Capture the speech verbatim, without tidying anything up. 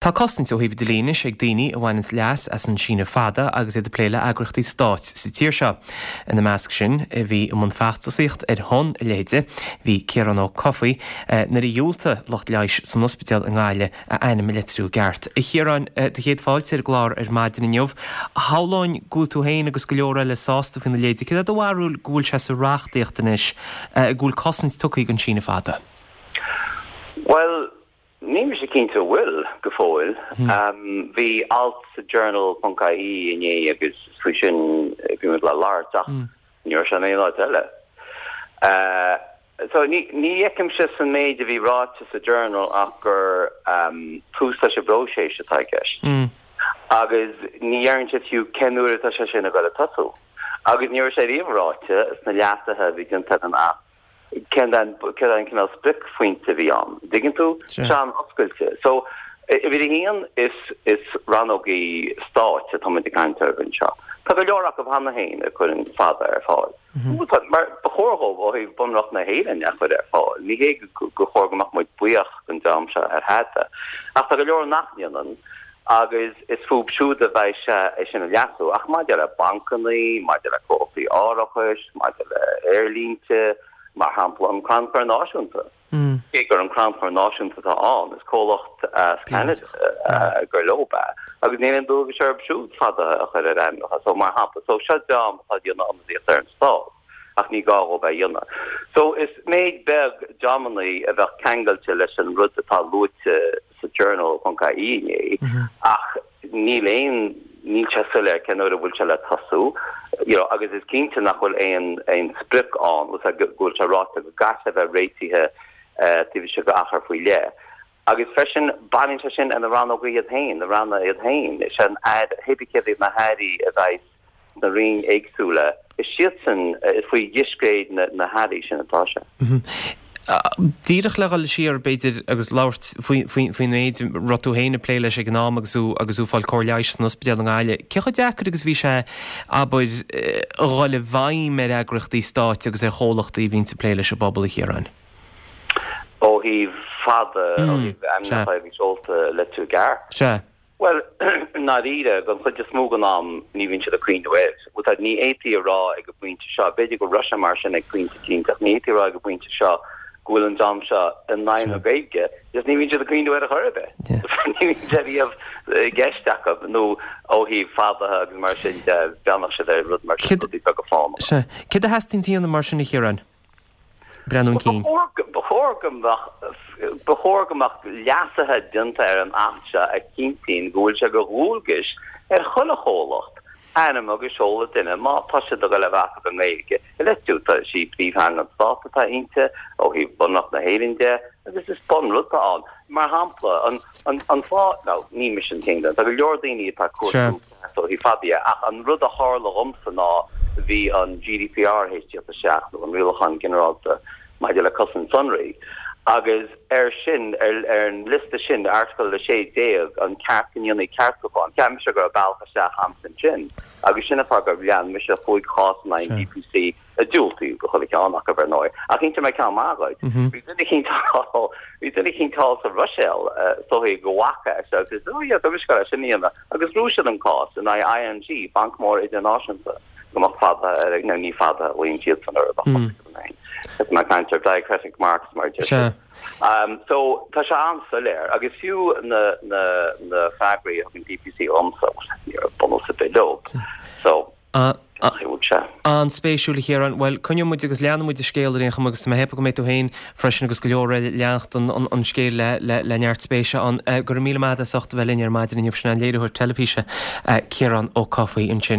Tá cosaint ó thaobh dlí anois ag daoine a bhaineann leas as an síneadh fada agus iad ag plé le heagraíochtaí stáit sa tír seo. Ina measc sin a bhí i mbun feachtasaíocht ar shon a leithéide, bhí Ciarán Ó Cofaigh nuair a dhiúltaigh lucht leighis san ospidéal i nGaillimh a ainm a litriú i gceart. A Chiaráin, do chéad fáilte ar an gclár ar maidin inniu. Shamhlóinn go bhfuil tú féin agus go leor eile sásta faoina leithéide. Cad é do bharúil go bhfuil sé sa reachtaíocht anois go bhfuil cosaint tugtha don síneadh fada? Well, níl mise cinnte bhfuil go fóill. Um, bhí alt sa journal.ie inné agus faoi sin bhí le labhairt ach mm. ní raibh sé in aon áit eile. Uh, so ní ní fheicimse san méid a bhí ráite sa journal ach gur um, tús leis an bpróiseas atá i gceist. Mm. Agus ní deireann sé fiú cén uair atá sé sin ag dul a tosú. Agus ní raibh sé riamh ráite sna leasuithe a bhí déanta an Acht cén an cineál spriocphointe bhí ann. Tuigeann tú Sure. Sean oscailte. So bhí haon is is rannógaí stáit atá muid ag caint ar anseo. Tá go leor acu cheana féin a chuireann fada ar fáil. Mar ba chóir dóibh ó thaobh Bunreacht na hÉireann a chur ar fáil. Ní hé go chóir go mbeadh muid buíoch den dream seo ar thada. Ach tá go leor nach ndéanann agus is fúthu siúd a bheidh sé é sin a leasú ach maidir le bancanna, maidir le comhlachtaí árachais, maidir le aerlínte, mar shampla an Crannchur Náisiúnta. Mm. Cé gur an Crannchur Náisiúnta atá ann is comhlacht as Canada uh, gur leo é agus níl aon dualgas orthu siúd fada a chur ar ainmneacha so mar shampla so seo dream atá déanamh ionadaíocht ar an stát ach ní gá dóibh é a dhéanamh. So is méid beag dreamanna a bheadh ceangailte leis an rud atá luaite sa journal.ie inné ach níl aon níl sé soiléir cén uair a bhfuil sé le tosú you know, agus is cinnte nach bhfuil aon aon sprioc ann go bhfuil sé ráite go gcaithfidh a bheith réitithe uh, taobh istigh d'achar faoi leith. Agus freisin baineann sé sin na rannóga iad féin, na ranna iad féin, sé an hébí céad na hairí a bheidh na rainn éagsúla. Is siad sin is faoi dhiscréid na, na hairí sin atá sé. Díreach le dhul siar b'fhéidir agus labhairt faoin méid raibh tú féin ag plé leis ag an am agus tú agus tú ag fáil cóir leighis san ospidéal i nGaillimh. Cé chomh deacair agus bhí sé abair a dhul i bhfeidhm ar eagraíochtaí stáit agus ar chomhlachtaí a bhíonn ag plé leis an bpobal a Chiaráin. Ó thaobh fada ó thaobh ainmneacha a bhí seolta le tú gar. Se. Well dáiríre don chuid is mó den am ní bhíonn siad ag cuimhneamh air. Well tá ní fhéadfaí a rá ag an bpointe seo, b'fhéidir go raibh sé mar sin ag pointe éicint ach ní fhéadfaí a rá ag an bpointe seo go bhfuil an dream seo in aghaidh na Gaeilge, just ní bhíonn siad ag cuimhneamh air a chor ar bith. Ní bhíonn sé riamh i gceist acu nó ó thaobh fadaithe agus mar sin de bheannach siad ar rud mar sin Cid- rudaí beaga fánacha. Se. Céard a theastaíonn uait mar sin a Chiaráin? Breathnú chun cinn. Ba chóir go mbeadh ba chóir go mbeadh leasuithe déanta ar an Acht seo a chinntíonn go bhfuil sé de dhualgas ar chuile chomhlacht ainm agus seoladh duine má tá sé do go le bheith an nGaeilge. Le tá sí príomhtheanga an stát atá inti ó thaobh Bunreacht na hÉireann de agus is bunrud ann. Mar shampla an an an fáth no ní mise an t-aon duine Tá go leor daoine atá Sure. cuaú hí fadí ach an rud a tharla dhomsa ná bhí an GDPR théis teacht nó an Rialachán Ginearálta maidir le cosaint sonraí. Agus ar sin ar, ar an liosta sin Airteagal a sé déag an ceart go ndéanfaí ceartúchán, Ceap mise go raibh bealach isteach ansin sin, agus sin an fáth gur lean mise chúig chás in aghaidh DPC a diúltaíodh do chuile cheann acu ar ndóigh. Ach inseoidh mé ceann maith dhuit. Bhí duine éicint bhí duine éicint thall sa Bhruiséil soí go bhfaca agus ó yeah, tá mise sin dhéanamh agus bhuaigh siad an cás in aghaidh ING Banc Mór Idirnáisiúnta go mbeadh fada ar nó ní fada bhíonn siad san ar Is má caint ar diacritic marks mar Se. sin. Um, so tá sé an-soiléir agus fiú na na na freagraí an DPC dhomsa bunús ar bith leo. So sé. An-spéisiúil a Chiaráin, well coinneoidh muid agus leanfaidh muid an scéal ar aon chuma agus mé ag ceapadh go mbeidh tú féin freisin agus go leor eile ag leanacht an, an, an scéal le, le, le neart spéise an uh, gur míle maith as ucht a bheith linn ar maidin inniu sin an léiritheoir teilifíse uh, Ciarán Ó Cofaigh ansin.